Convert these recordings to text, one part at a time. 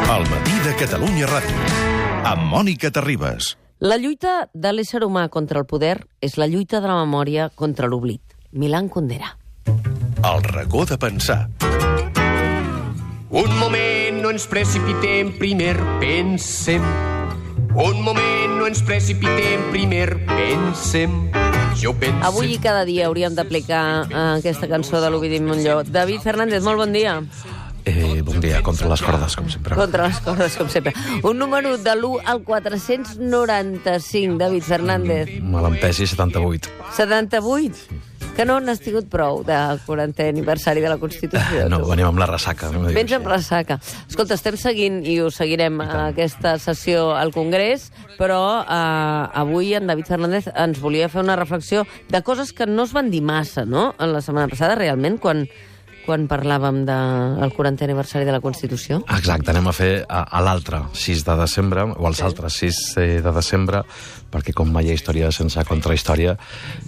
El matí de Catalunya Ràdio, amb Mònica Terribas. La lluita de l'ésser humà contra el poder és la lluita de la memòria contra l'oblit. Milan Kundera. El racó de pensar. Un moment, no ens precipitem, primer pensem. Un moment, no ens precipitem, primer pensem. Jo penso... Avui i cada dia hauríem d'aplicar aquesta cançó de l'Ovidi Montllor. David Fernández, molt bon dia. Bon dia, contra les cordes, com sempre. Contra les cordes, com sempre. Un número de l'1 al 495, David Fernández. Me l'empesi 78. 78? Que no n'has tingut prou del 40è aniversari de la Constitució. No, venim amb la ressaca. No Vens amb ressaca. Escolta, estem seguint i ho seguirem aquesta sessió al Congrés, però avui en David Fernández ens volia fer una reflexió de coses que no es van dir massa, no?, en la setmana passada, realment, quan parlàvem del 40è aniversari de la Constitució. Exacte, anem a fer a l'altre 6 de desembre, o als altres 6 de desembre, perquè com mai hi ha història sense contrahistòria,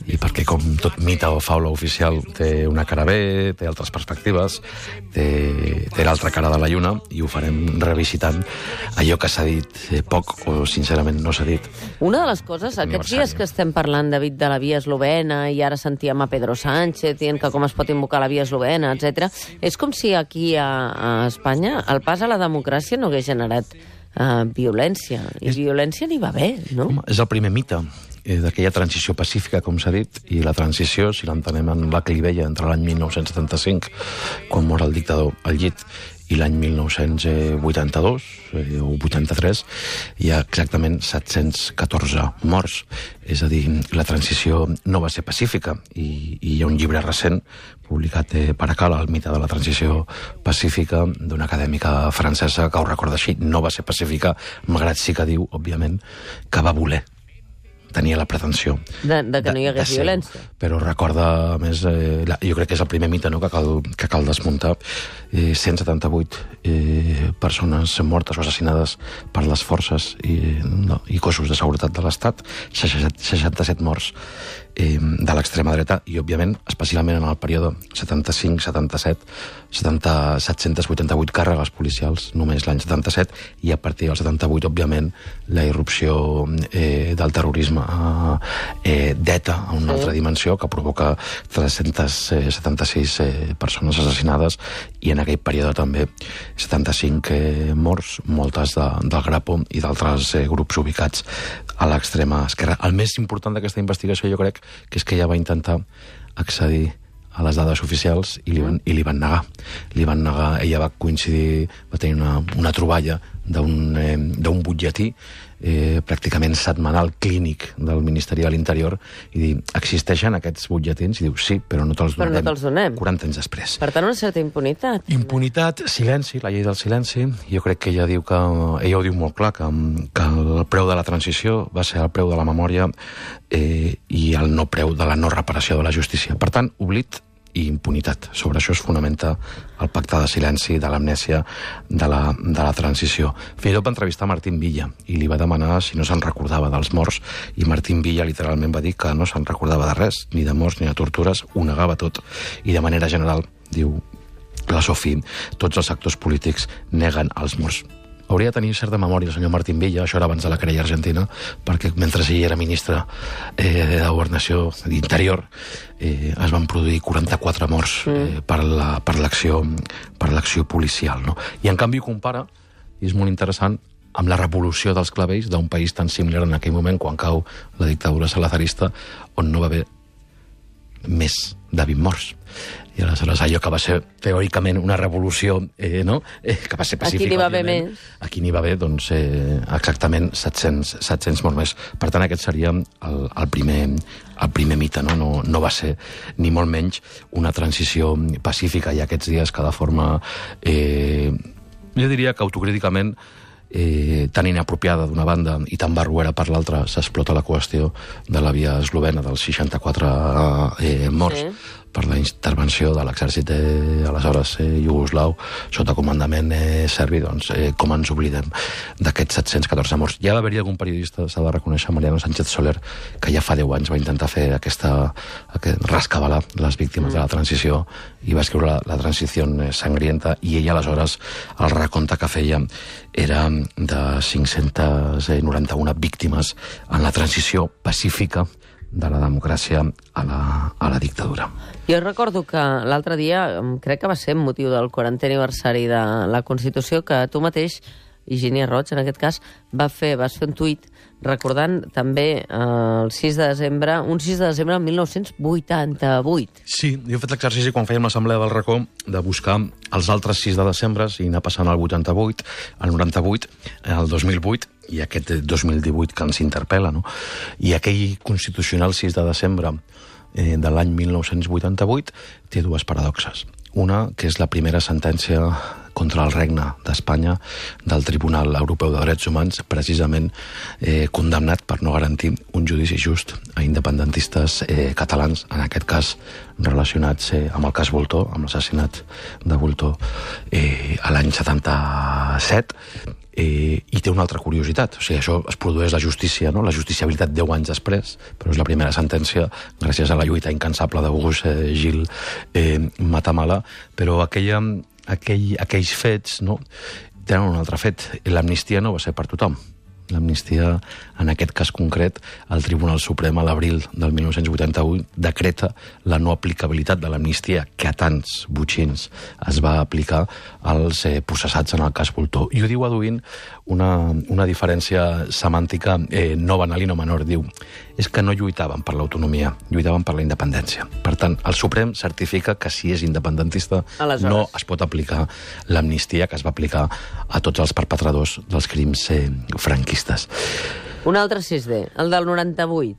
i perquè com tot mite o faula oficial té una cara bé, té altres perspectives, té l'altra cara de la lluna, i ho farem revisitant allò que s'ha dit poc o sincerament no s'ha dit. Una de les coses, aquests dies que estem parlant, David, de la via eslovena, i ara sentíem a Pedro Sánchez dient que com es pot invocar la via eslovena, etc. És com si aquí a Espanya el pas a la democràcia no hagués generat violència. I violència n'hi va haver, no? Home, és el primer mite d'aquella transició pacífica, com s'ha dit, i la transició, si l'entenem en la clivella entre l'any 1975, quan mor el dictador al llit, i l'any 1982 o 83 hi ha exactament 714 morts. És a dir, la transició no va ser pacífica, i hi ha un llibre recent publicat per Acala, el mite de la transició pacífica, d'una acadèmica francesa que ho recorda així. No va ser pacífica, malgrat sí que diu, òbviament, que va voler. Tenia la pretensió de que no hi hagués violència. Però recorda, a més, jo crec que és el primer mite, no?, que cal desmuntar. 178 persones mortes o assassinades per les forces i cossos de seguretat de l'Estat, 67 morts de l'extrema dreta, i, òbviament, especialment en el període 75-77, 788 càrregues policials, només l'any 77, i a partir del 78, òbviament, la irrupció del terrorisme d'ETA a una altra dimensió, que provoca 376 persones assassinades, i en aquell període també 75 morts, moltes del Grapo i d'altres grups ubicats a l'extrema esquerra. El més important d'aquesta investigació, jo crec, que és que ella va intentar accedir a les dades oficials i li van negar. Li van negar, ella va coincidir, va tenir una troballa d'un butlletí pràcticament setmanal clínic del Ministeri de l'Interior, i dir, existeixen aquests butlletins? I diu, sí, però no te'ls donem. Però no te'ls donem. 40 anys després. Per tant, una certa impunitat. Impunitat, silenci, la llei del silenci. Jo crec que ella diu que... Ella ho diu molt clar, que el preu de la transició va ser el preu de la memòria i el no preu de la no reparació de la justícia. Per tant, oblit i impunitat. Sobre això es fonamenta el pacte de silenci, de l'amnèsia, de la transició. Fins i tot va entrevistar Martín Villa i li va demanar si no se'n recordava dels morts, i Martín Villa literalment va dir que no se'n recordava de res, ni de morts ni de tortures, ho negava tot, i de manera general, diu la Sofí, tots els actors polítics neguen els morts. Hauria de tenir certa memòria el senyor Martín Villa, això era abans de la querella argentina, perquè mentre ell era ministre de Governació d'Interior es van produir 44 morts per l'acció policial, no? I en canvi ho compara, i és molt interessant, amb la revolució dels clavells d'un país tan similar en aquell moment, quan cau la dictadura salazarista, on no va haver més de 20 morts. I aleshores allò que va ser teòricament una revolució, no?, que va ser pacífica. Aquí n'hi va haver més. Aquí n'hi va haver, doncs, exactament 700 morts més. Per tant, aquest seria el primer mite, no? No va ser, ni molt menys, una transició pacífica, i aquests dies que de forma, jo diria que autocríticament, tan inapropiada d'una banda i tan barruera per l'altra, s'explota la qüestió de la via eslovena dels 64 morts. per la intervenció de l'exèrcit aleshores iugoslau sota comandament serbi, doncs com ens oblidem d'aquests 714 morts. Ja va haver-hi algun periodista, s'ha de reconèixer, Mariano Sánchez Soler, que ja fa 10 anys va intentar fer rescabalar les víctimes de la transició i va escriure la transició sangrienta, i ell aleshores el recompte que feia era de 591 víctimes en la transició pacífica de la democràcia a la dictadura. Jo recordo que l'altre dia, crec que va ser motiu del 40è aniversari de la Constitució, que tu mateix, Higini Roig, en aquest cas, vas fer un tuit recordant també el 6 de desembre, un 6 de desembre del 1988. Sí, jo he fet l'exercici quan fèiem l'assemblea del Racó de buscar els altres 6 de desembre i anar passant al 88, al 98, al 2008, i aquest 2018 que ens interpel·la, no? I aquell constitucional 6 de desembre de l'any 1988 té dues paradoxes. Una, que és la primera sentència contra el regne d'Espanya del Tribunal Europeu de Drets Humans, precisament condemnat per no garantir un judici just a independentistes catalans, en aquest cas relacionats amb el cas Voltor, amb l'assassinat de Voltor a l'any 77, i té una altra curiositat. O sigui, això es produeix la justícia, no? La justiciabilitat 10 anys després, però és la primera sentència gràcies a la lluita incansable d'August Gil Matamala, però aquells fets, no, tenen un altre fet. L'amnistia no va ser per tothom. L'amnistia, en aquest cas concret, el Tribunal Suprem a l'abril del 1981 decreta la no aplicabilitat de l'amnistia que a tants botxins es va aplicar als processats en el cas Voltor. I ho diu aduint una diferència semàntica no banal i no menor. Diu, és que no lluitaven per l'autonomia, lluitaven per la independència. Per tant, el Suprem certifica que si és independentista no es pot aplicar l'amnistia que es va aplicar a tots els perpetradors dels crims franquistes. Un altre 6D, el del 98.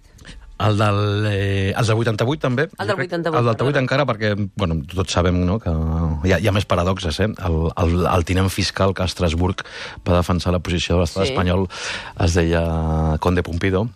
El del 88 també. El del 88. El del 88 encara perquè, bueno, tots sabem, no, que hi ha més paradoxes, El tinent fiscal que a Estrasburg va defensar la posició de l'estat espanyol es deia Conde Pumpido,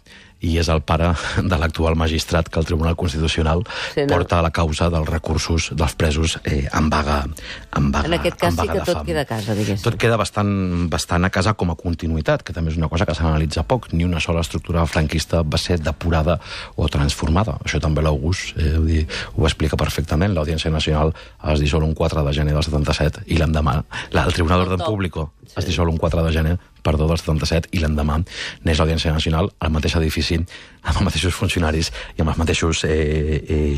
i és el pare de l'actual magistrat que el Tribunal Constitucional porta a la causa dels recursos dels presos en vaga de fam. En aquest cas sí que tot queda a casa, diguéssim. Tot queda bastant a casa com a continuïtat, que també és una cosa que s'analitza poc. Ni una sola estructura franquista va ser depurada o transformada. Això també l'August ho explica perfectament. l'Audiència Nacional es dissol un 4 de gener del 77 i l'endemà el Tribunal d'Orden Público es dissol un 4 de gener del 77 i l'endemà neix l'Audiència Nacional al mateix edifici, amb els mateixos funcionaris i amb els mateixos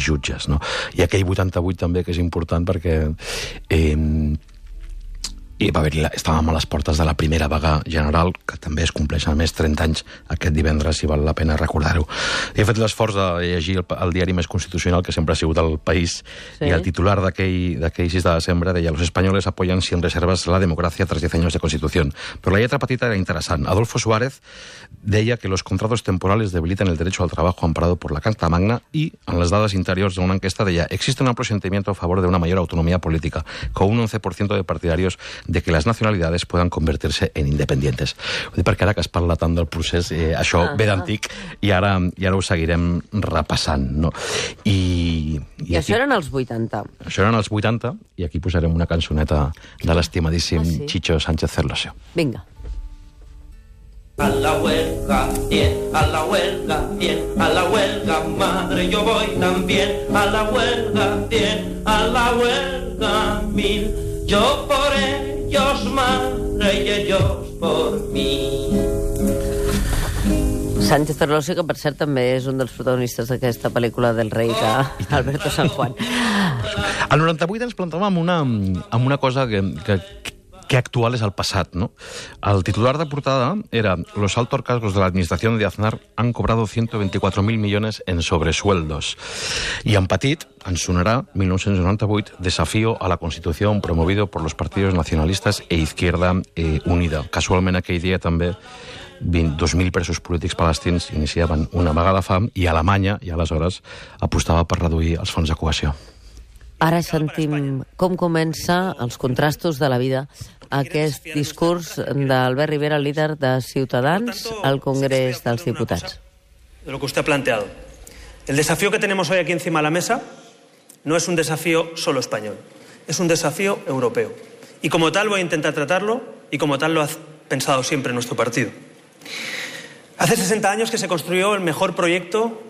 jutges, no? I aquell 88 també, que és important perquè estàvem a les portes de la primera vaga general, que també es compleixen a més 30 anys aquest divendres, i val la pena recordar-ho. He fet l'esforç de llegir el diari més constitucional, que sempre ha sigut El País, i el titular d'aquell 6 de desembre deia: «Los españoles apoyan sin reservas la democracia tras 10 años de Constitución». Però la lletra petita era interessant. Adolfo Suárez deia que los contratos temporales debilitan el derecho al trabajo amparado por la Carta Magna, i en les dades interiors d'una enquesta deia: «Existe un amplio sentimiento a favor de una mayor autonomía política, con un 11% de partidarios de que las nacionalidades puedan convertirse en independientes». Ho dic perquè ara que es parla tant del procés, això ve d'antic i ara ho seguirem repassant, no? I això eren els 80. Això eren els 80, i aquí posarem una cançoneta de l'estimadíssim Chicho Sánchez Cerlosio. Vinga. A la huelga, bien, a la huelga, bien, a la huelga, madre, yo voy también. A la huelga, bien, a la huelga, mil. Yo por ellos, madre, y ellos por mí. Sánchez Cerlosio, que per cert també és un dels protagonistes d'aquesta pel·lícula del rei d'Alberto San Juan. Al 98 ens plantàvem amb una cosa que actual és el passat, ¿no? El titular de portada era: «Los altos cargos de la administración de Aznar han cobrado 124.000 millones en sobresueldos». I en petit ens sonarà 1998, desafío a la Constitución promovido por los partidos nacionalistas e Izquierda Unida. Casualment aquell dia també 2.000 presos polítics palestins iniciaven una vaga de fam, i Alemanya, i aleshores, apostava per reduir els fons de cohesió. Ara sentim com comença els contrastos de la vida aquest discurs d'Albert Rivera, líder de Ciutadans, al Congrés dels Diputats. De lo que usted ha planteado. El desafío que tenemos hoy aquí encima de la mesa no es un desafío solo español, es un desafío europeo. Y como tal voy a intentar tratarlo y como tal lo ha pensado siempre nuestro partido. Hace 60 años que se construyó el mejor proyecto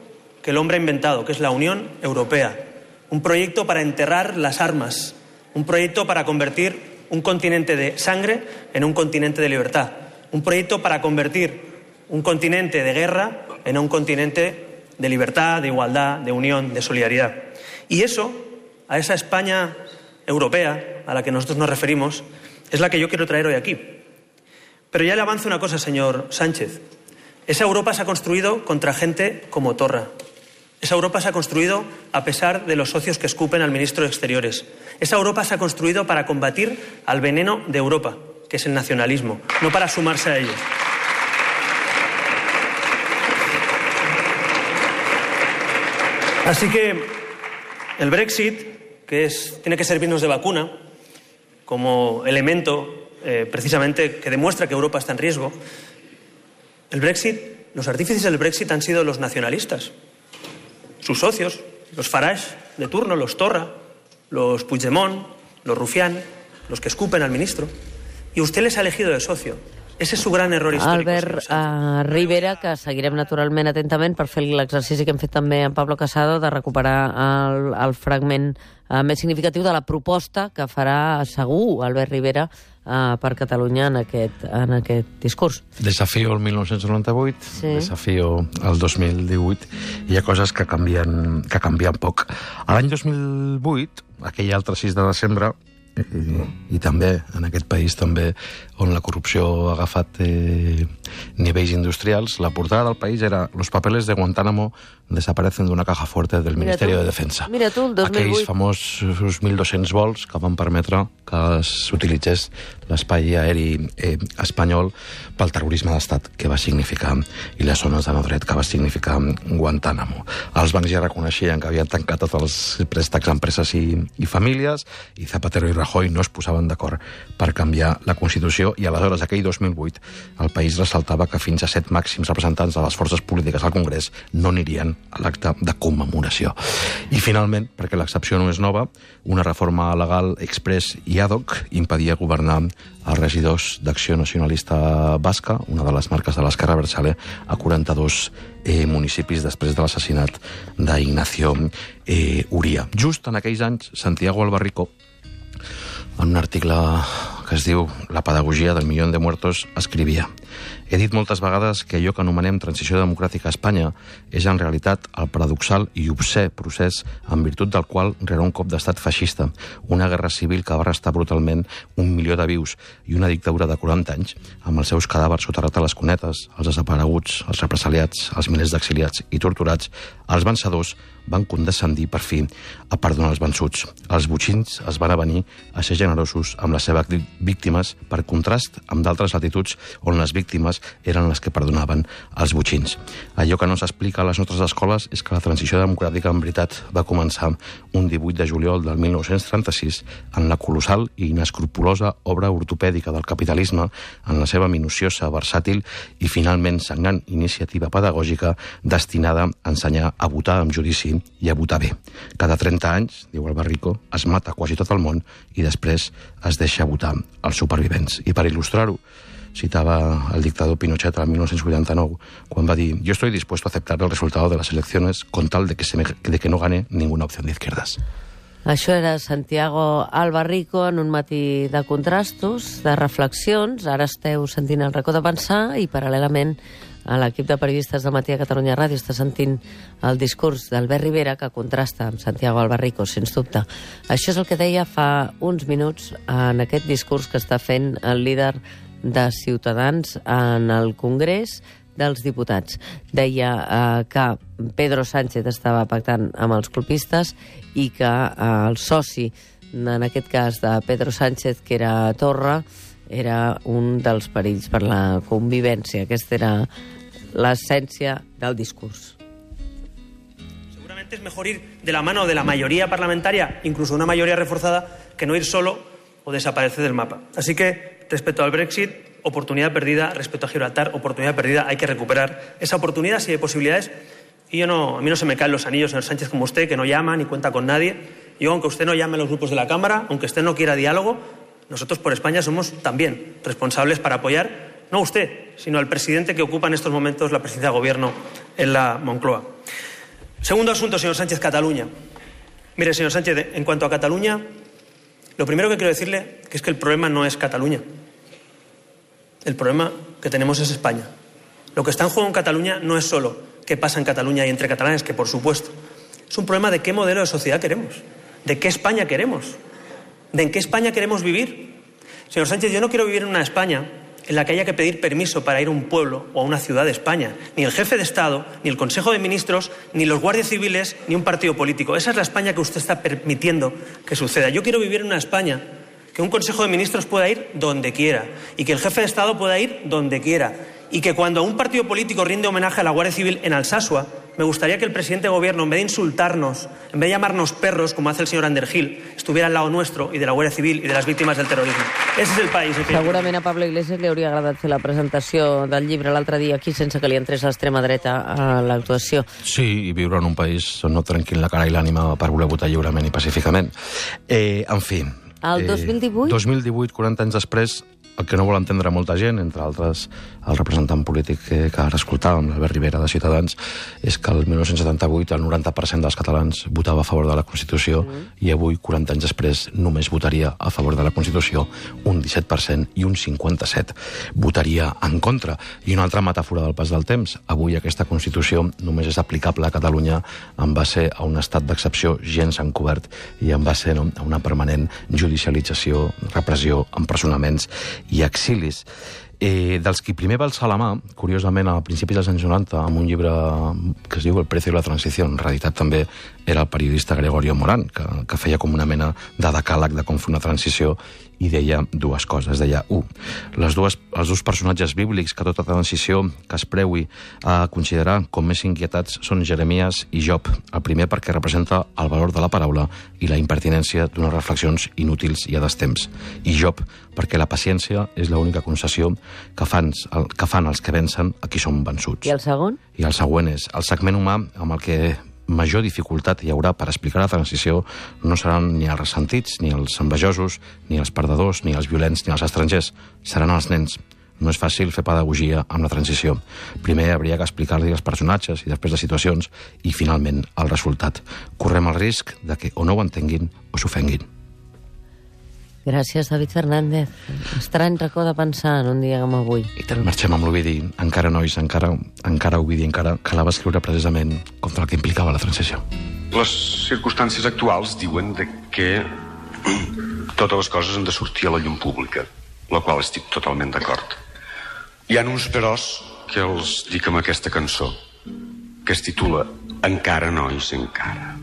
que el hombre ha inventado, que es la Unión Europea. Un proyecto para enterrar las armas, un proyecto para convertir un continente de sangre en un continente de libertad, un proyecto para convertir un continente de guerra en un continente de libertad, de igualdad, de unión, de solidaridad. Y eso, a esa España europea a la que nosotros nos referimos, es la que yo quiero traer hoy aquí. Pero ya le avanzo una cosa, señor Sánchez. Esa Europa se ha construido contra gente como Torra. Esa Europa se ha construido a pesar de los socios que escupen al ministro de Exteriores. Esa Europa se ha construido para combatir al veneno de Europa, que es el nacionalismo, no para sumarse a ello. Así que el Brexit, tiene que servirnos de vacuna como elemento precisamente que demuestra que Europa está en riesgo. El Brexit, los artífices del Brexit han sido los nacionalistas, sus socios, los Farage de turno, los Torra, los Puigdemont, los Rufián, los que escupen al ministro. I usted les ha elegido de socio. Ese és su gran error històric. Albert Rivera, que seguirem naturalment atentament per fer l'exercici que hem fet també amb Pablo Casado de recuperar el fragment més significatiu de la proposta que farà segur Albert Rivera per Catalunya en aquest discurs. Desafio el 1998, sí. Desafio el 2018, hi ha coses que canvien poc. A l'any 2008, aquell altre 6 de desembre, i també en aquest país també on la corrupció ha agafat nivells industrials, la portada del país era «Los papeles de Guantánamo desaparecen d'una caja fuerte del Ministerio de Defensa». Mira tu, el 2008. Aquells famosos 1.200 vols que van permetre que s'utilitzés l'espai aeri espanyol pel terrorisme d'estat que va significar, i les zones de no dret que va significar Guantánamo. Els bancs ja reconeixien que havien tancat tots els préstecs a empreses i famílies, i Zapatero i Rajoy no es posaven d'acord per canviar la Constitució, i aleshores, aquell 2008, el país ressaltava que fins a 7 màxims representants de les forces polítiques al Congrés no anirien a l'acte de commemoració. I finalment, perquè l'excepció no és nova, una reforma legal express i ad hoc impedia governar els regidors d'Acció Nacionalista Basca, una de les marques de l'Esquerra Abertzale, a 42 municipis després de l'assassinat d'Ignacio Uría. Just en aquells anys, Santiago Albarrico, en un article que es diu La pedagogia del milió de muertos, escrivia: «He dit moltes vegades que allò que anomenem transició democràtica a Espanya és en realitat el paradoxal i obscè procés en virtut del qual rere un cop d'estat feixista, una guerra civil que va arrestar brutalment 1 milió de vius i una dictadura de 40 anys, amb els seus cadàvers soterrats a les cunetes, els desapareguts, els represaliats, els milers d'exiliats i torturats, els vencedors van condescendir per fi a perdonar els vençuts. Els botxins es van avenir a ser generosos amb les seves víctimes, per contrast amb d'altres latituds on les víctimes eren les que perdonaven els botxins. Allò que no s'explica a les nostres escoles és que la transició democràtica en veritat va començar un 18 de juliol del 1936 en la colossal i inescrupulosa obra ortopèdica del capitalisme, en la seva minuciosa, versàtil i finalment sagnant iniciativa pedagògica destinada a ensenyar a votar amb judici i a votar bé. Cada 30 anys, diu Albarrico, es mata quasi tot el món i després es deixa votar els supervivents. I per il·lustrar-ho, citava el dictador Pinochet el 1989, quan va dir: «Yo estoy dispuesto a aceptar el resultado de las elecciones con tal de que no gane ninguna opción de izquierdas». Això era Santiago Albarrico en un matí de contrastos, de reflexions. Ara esteu sentint el racó de pensar i, paral·lelament, a l'equip de periodistes del Matí a Catalunya Ràdio està sentint el discurs d'Albert Rivera, que contrasta amb Santiago Albarrico, sens dubte. Això és el que deia fa uns minuts en aquest discurs que està fent el líder de Ciutadans en el Congrés dels Diputats. Deia que Pedro Sánchez estava pactant amb els colpistes i que el soci, en aquest cas de Pedro Sánchez, que era Torra, era un dels perills per la convivència. Aquesta era l'essència del discurs. Seguramente es mejor ir de la mano de la mayoría parlamentaria, incluso una mayoría reforzada, que no ir solo o desaparecer del mapa. Así que, respecto al Brexit, oportunidad perdida. Respecto a Gibraltar, oportunidad perdida. Hay que recuperar esa oportunidad si hay posibilidades. Y a mí no se me caen los anillos, señor Sánchez, como usted, que no llama ni cuenta con nadie. Yo, aunque usted no llame a los grupos de la Cámara, aunque usted no quiera diálogo, nosotros por España somos también responsables para apoyar, no a usted, sino al presidente que ocupa en estos momentos la presidencia de Gobierno en la Moncloa. Segundo asunto, señor Sánchez, Cataluña. Mire, señor Sánchez, en cuanto a Cataluña, lo primero que quiero decirle es que el problema no es Cataluña. El problema que tenemos es España. Lo que está en juego en Cataluña no es solo qué pasa en Cataluña y entre catalanes, que por supuesto. Es un problema de qué modelo de sociedad queremos, de qué España queremos, de en qué España queremos vivir. Señor Sánchez, yo no quiero vivir en una España en la que haya que pedir permiso para ir a un pueblo o a una ciudad de España. Ni el jefe de Estado, ni el Consejo de Ministros, ni los guardias civiles, ni un partido político. Esa es la España que usted está permitiendo que suceda. Yo quiero vivir en una España que un Consejo de Ministros pueda ir donde quiera y que el jefe de Estado pueda ir donde quiera y que cuando un partido político rinde homenaje a la Guardia Civil en Alsasua, me gustaría que el presidente de Gobierno, en vez de insultarnos, en vez de llamarnos perros, como hace el señor Underhill, estuviera al lado nuestro y de la Guardia Civil y de las víctimes del terrorismo. Ese és el país. Segurament a Pablo Iglesias li hauria agradat fer la presentació del llibre l'altre dia aquí sense que li entrés l'extrema dreta a l'actuació. Sí, i viure en un país on no trenquin la cara i l'ànima per voler votar lliurement i pacíficament. En fi... El 2018? 2018, 40 anys després, el que no vol entendre molta gent, entre altres el representant polític que ara escoltàvem, l'Albert Rivera de Ciutadans, és que el 1978 el 90% dels catalans votava a favor de la Constitució i avui, 40 anys després, només votaria a favor de la Constitució un 17% i un 57% votaria en contra. I una altra metàfora del pas del temps. Avui aquesta Constitució només és aplicable a Catalunya en base a un estat d'excepció gens encobert i en base a una permanent judicialització, repressió, empresonaments i exilis. Dels qui primer va alçar la mà, curiosament, a principis dels anys 90, amb un llibre que es diu El precio de la transició, en realitat també era el periodista Gregorio Morán, que feia com una mena de decàleg de com fer una transició i deia dues coses. Deia, els dos personatges bíblics que tota transició que es preui a considerar com més inquietats són Jeremies i Job. El primer perquè representa el valor de la paraula i la impertinència d'unes reflexions inútils i a destemps. I Job perquè la paciència és l'única concessió que fan els que vencen a qui són vençuts. I el segon? I el següent és el segment humà amb el que major dificultat hi haurà per explicar la transició no seran ni els ressentits, ni els envejosos, ni els perdedors, ni els violents, ni els estrangers. Seran els nens. No és fàcil fer pedagogia amb la transició. Primer hauria que explicar-li els personatges i després les situacions i, finalment, el resultat. Correm el risc de que o no ho entenguin o s'ofenguin. Gràcies, David Fernández. Estrany racó de pensar en un dia com avui. I tant, marxem amb l'Ovidi. Encara, nois, encara Ovidi, encara que la va escriure precisament contra el que implicava la transició. Les circumstàncies actuals diuen que totes les coses han de sortir a la llum pública, la qual estic totalment d'acord. Hi ha uns peròs que els dic amb aquesta cançó, que es titula Encara, nois, encara.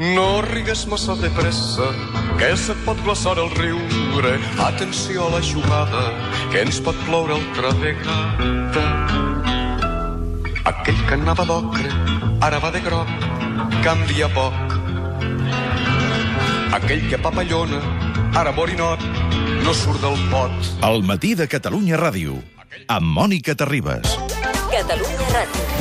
No rigues massa de pressa, que se't pot glaçar el riure. Atenció a la jugada, que ens pot ploure altra vegada. Aquell que anava d'ocre, ara va de groc, canvia poc. Aquell que papallona, ara borinot, no surt del pot. El matí de Catalunya Ràdio, amb Mònica Terribas. Catalunya Ràdio.